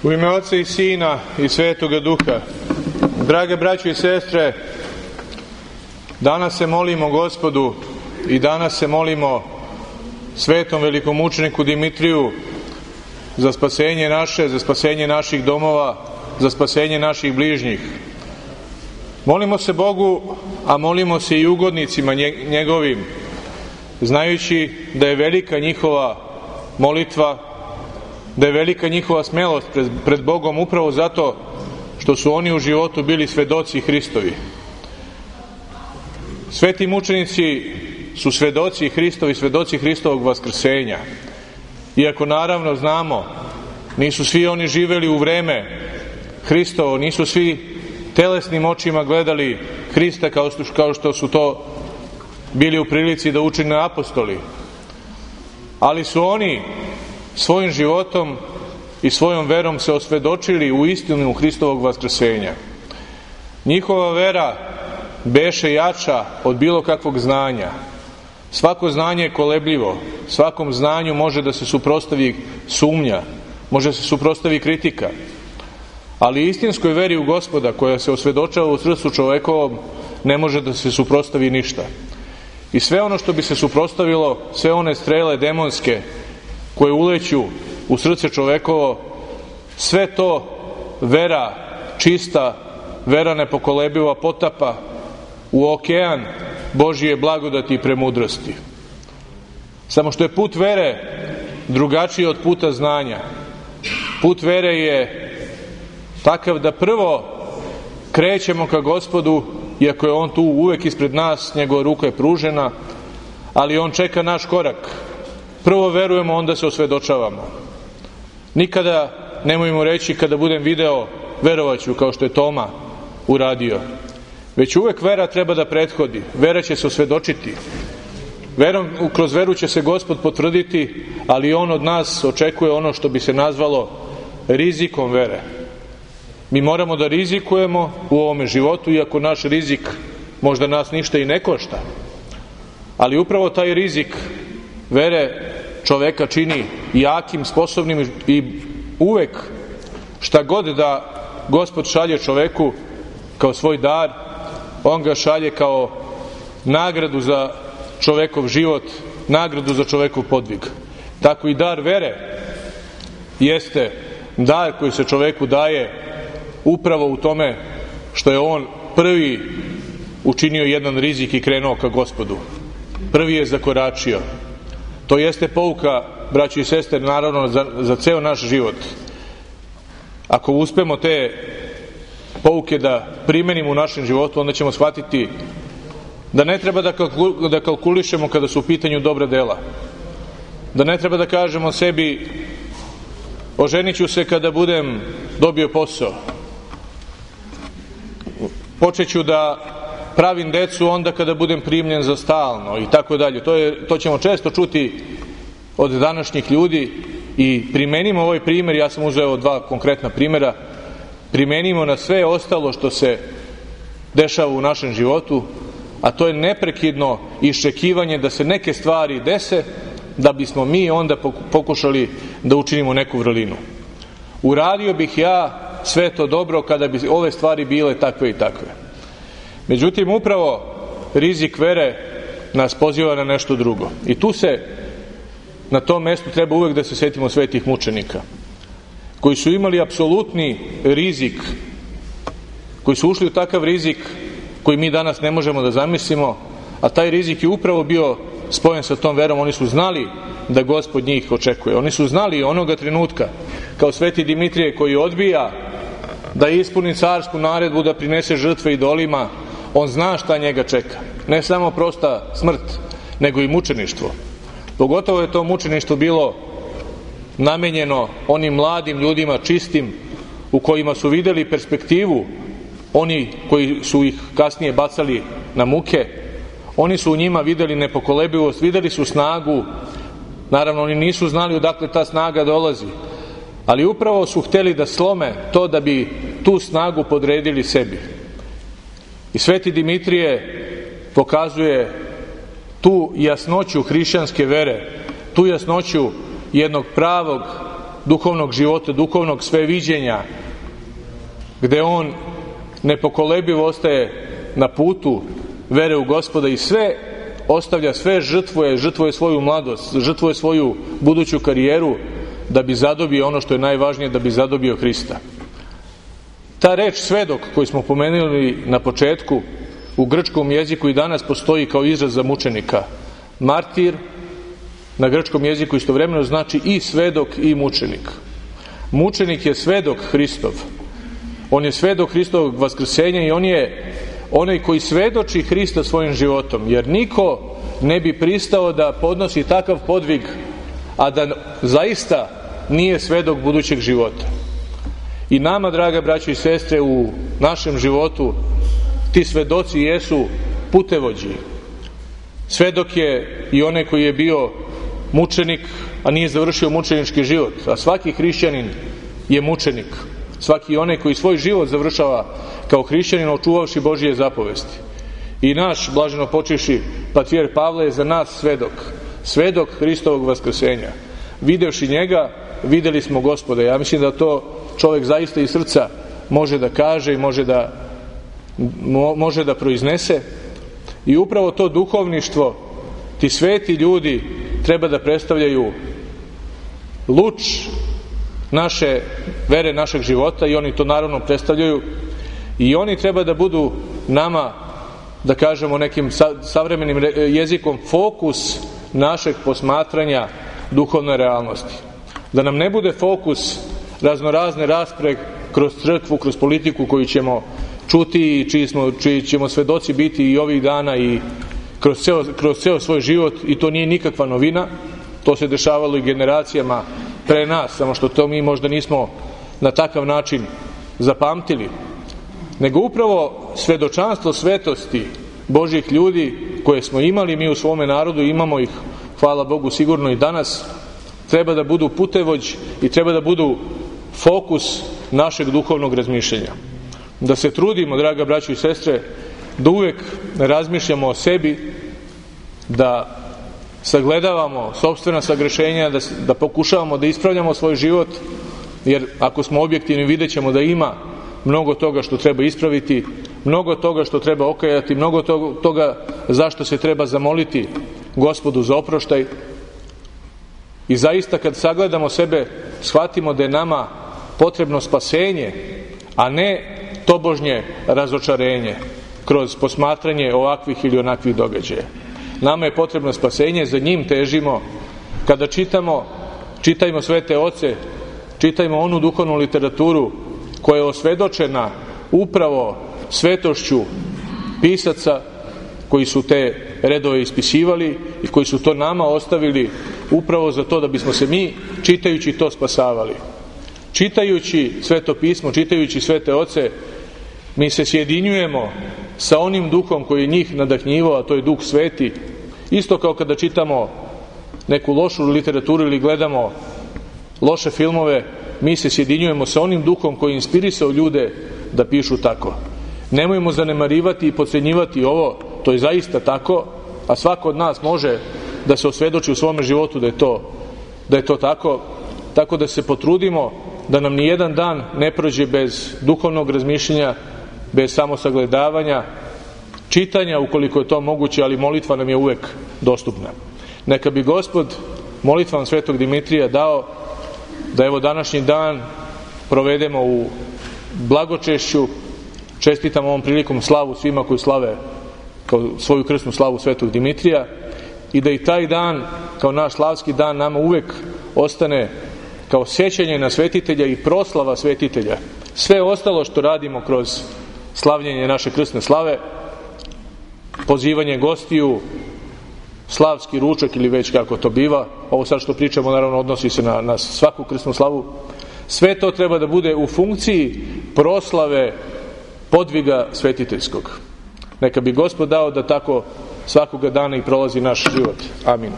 U ime Oca i Sina i Svetoga Duha. Drage braćo i sestre, danas se molimo Gospodu i danas se molimo svetom velikomučeniku Dimitriju za spasenje naše, za spasenje naših domova, za spasenje naših bližnjih. Molimo se Bogu, a molimo se i ugodnicima njegovim, znajući da je velika njihova molitva, da je velika njihova smelost pred Bogom upravo zato što su oni u životu bili svedoci Hristovi. Sveti mučenici su svedoci Hristovi, svedoci Hristovog vaskrsenja. Iako naravno znamo, nisu svi oni živeli u vreme Hristovo, nisu svi telesnim očima gledali Hrista kao što su to bili u prilici da učine apostoli. Ali su oni svojim životom i svojom verom se osvedočili u istinu Hristovog vaskrsenja. Njihova vera beše jača od bilo kakvog znanja. Svako znanje je kolebljivo, svakom znanju može da se suprotstavi sumnja, može se suprotstavi kritika. Ali istinskoj veri u Gospoda, koja se osvedočava u srcu čovekovom, ne može da se suprotstavi ništa. I sve ono što bi se suprotstavilo, sve one strele demonske koje uleću u srce čovekovo, sve to vera čista, vera nepokolebiva potapa u okean Božije blagodati i premudrosti. Samo što je put vere drugačiji od puta znanja. Put vere je takav da prvo krećemo ka Gospodu, iako je On tu uvek ispred nas, njegova ruka je pružena, ali On čeka naš korak. Prvo verujemo, onda se osvedočavamo. Nikada nemojmo reći kada budem video, verovaću, kao što je Toma uradio. Već uvek vera treba da prethodi. Vera će se osvedočiti. Kroz veru će se Gospod potvrditi, ali On od nas očekuje ono što bi se nazvalo rizikom vere. Mi moramo da rizikujemo u ovome životu, iako naš rizik možda nas ništa i ne košta. Ali upravo taj rizik vere čoveka čini jakim, sposobnim i uvek šta god da Gospod šalje čoveku kao svoj dar, On ga šalje kao nagradu za čovekov život, nagradu za čovekov podvig. Tako i dar vere jeste dar koji se čoveku daje upravo u tome što je on prvi učinio jedan rizik i krenuo ka Gospodu. Prvi je zakoračio. To jeste pouka, braći i sestre, naravno za ceo naš život. Ako uspemo te pouke da primenimo u našem životu, onda ćemo shvatiti da ne treba da kalkulišemo kada su u pitanju dobra dela. Da ne treba da kažemo sebi: oženit ću se kada budem dobio posao. Počeću da pravim decu onda kada budem primljen za stalno i tako dalje. To ćemo često čuti od današnjih ljudi i primenimo ovaj primjer. Ja sam uzeo dva konkretna primjera. Primenimo na sve ostalo što se dešava u našem životu, a to je neprekidno iščekivanje da se neke stvari dese, da bismo mi onda pokušali da učinimo neku vrlinu. Uradio bih ja sve to dobro kada bi ove stvari bile takve i takve. Međutim, upravo rizik vere nas poziva na nešto drugo. I tu se, na tom mestu, treba uvek da se setimo svetih mučenika, koji su imali apsolutni rizik, koji su ušli u takav rizik koji mi danas ne možemo da zamislimo, a taj rizik je upravo bio spojen sa tom verom. Oni su znali da Gospod njih očekuje. Oni su znali onoga trenutka, kao sveti Dimitrije koji odbija da ispuni carsku naredbu da prinese žrtve idolima, on zna šta njega čeka. Ne samo prosta smrt, nego i mučeništvo. Pogotovo je to mučeništvo bilo namenjeno onim mladim ljudima, čistim, u kojima su videli perspektivu. Oni koji su ih kasnije bacali na muke, oni su u njima videli nepokolebivost, videli su snagu. Naravno, oni nisu znali odakle ta snaga dolazi, ali upravo su hteli da slome to da bi tu snagu podredili sebi. I sveti Dimitrije pokazuje tu jasnoću hrišćanske vere, tu jasnoću jednog pravog duhovnog života, duhovnog sveviđenja, gde on nepokolebivo ostaje na putu vere u Gospoda i sve ostavlja, sve žrtvuje svoju mladost, žrtvuje svoju buduću karijeru da bi zadobio ono što je najvažnije, da bi zadobio Hrista. Ta reč svedok koju smo pomenuli na početku u grčkom jeziku i danas postoji kao izraz za mučenika. Martir na grčkom jeziku istovremeno znači i svedok i mučenik. Mučenik je svedok Hristov. On je svedok Hristovog vaskrsenja i on je onaj koji svedoči Hrista svojim životom, jer niko ne bi pristao da podnosi takav podvig, a da zaista nije svedok budućeg života. I nama, draga braćo i sestre, u našem životu ti svedoci jesu putevođi. Svedok je i onaj koji je bio mučenik, a nije završio mučenički život. A svaki hrišćanin je mučenik. Svaki onaj koji svoj život završava kao hrišćanin, očuvavši Božije zapovesti. I naš blaženo počivši patrijarh Pavle je za nas svedok. Svedok Hristovog vaskrsenja. Videvši njega, videli smo Gospoda. Ja mislim da to čovjek zaista iz srca može da kaže i može da proiznese. I upravo to duhovništvo, ti sveti ljudi treba da predstavljaju luč naše vere, našeg života, i oni to naravno predstavljaju, i oni treba da budu nama, da kažemo nekim savremenim jezikom, fokus našeg posmatranja duhovne realnosti. Da nam ne bude fokus raznorazne rasprave kroz crkvu, kroz politiku koju ćemo čuti i čiji ćemo svedoci biti i ovih dana i kroz ceo svoj život, i to nije nikakva novina. To se dešavalo i generacijama pre nas, samo što to mi možda nismo na takav način zapamtili. Nego upravo svedočanstvo svetosti Božjih ljudi koje smo imali mi u svome narodu, imamo ih, hvala Bogu, sigurno i danas, treba da budu putevođ i treba da budu fokus našeg duhovnog razmišljanja. Da se trudimo, draga braćo i sestre, da uvek razmišljamo o sebi, da sagledavamo sopstvena sagrešenja, da pokušavamo da ispravljamo svoj život, jer ako smo objektivni vidjet ćemo da ima mnogo toga što treba ispraviti, mnogo toga što treba okajati, mnogo toga zašto se treba zamoliti Gospodu za oproštaj. I zaista kad sagledamo sebe, shvatimo da je nama potrebno spasenje, a ne tobožnje razočarenje kroz posmatranje ovakvih ili onakvih događaja. Nama je potrebno spasenje, za njim težimo. Kada čitajmo svete oce, čitajmo onu duhovnu literaturu koja je osvedočena upravo svetošću pisaca koji su te redove ispisivali i koji su to nama ostavili upravo za to da bismo se mi, čitajući to, spasavali. Čitajući Sveto pismo, čitajući svete oce, mi se sjedinjujemo sa onim duhom koji je njih nadahnjivao, a to je Duh Sveti. Isto kao kada čitamo neku lošu literaturu ili gledamo loše filmove, mi se sjedinjujemo sa onim duhom koji je inspirisao ljude da pišu tako. Nemojmo zanemarivati i podcenjivati ovo, to je zaista tako, a svako od nas može da se osvedoči u svome životu da je to tako. Tako da se potrudimo da nam ni jedan dan ne prođe bez duhovnog razmišljanja, bez samosagledavanja, čitanja ukoliko je to moguće, ali molitva nam je uvek dostupna. Neka bi Gospod molitvom Svetog Dimitrija dao da evo današnji dan provedemo u blagočešću. Čestitam ovom prilikom slavu svima koji slave kao svoju krsnu slavu Svetog Dimitrija, i da i taj dan kao naš slavski dan nama uvek ostane kao sjećanje na svetitelja i proslava svetitelja. Sve ostalo što radimo kroz slavljenje naše krsne slave, pozivanje gostiju, slavski ručak ili već kako to biva, ovo sad što pričamo naravno odnosi se na svaku krsnu slavu, sve to treba da bude u funkciji proslave podviga svetiteljskog. Neka bi Gospod dao da tako svakoga dana i prolazi naš život. Amin.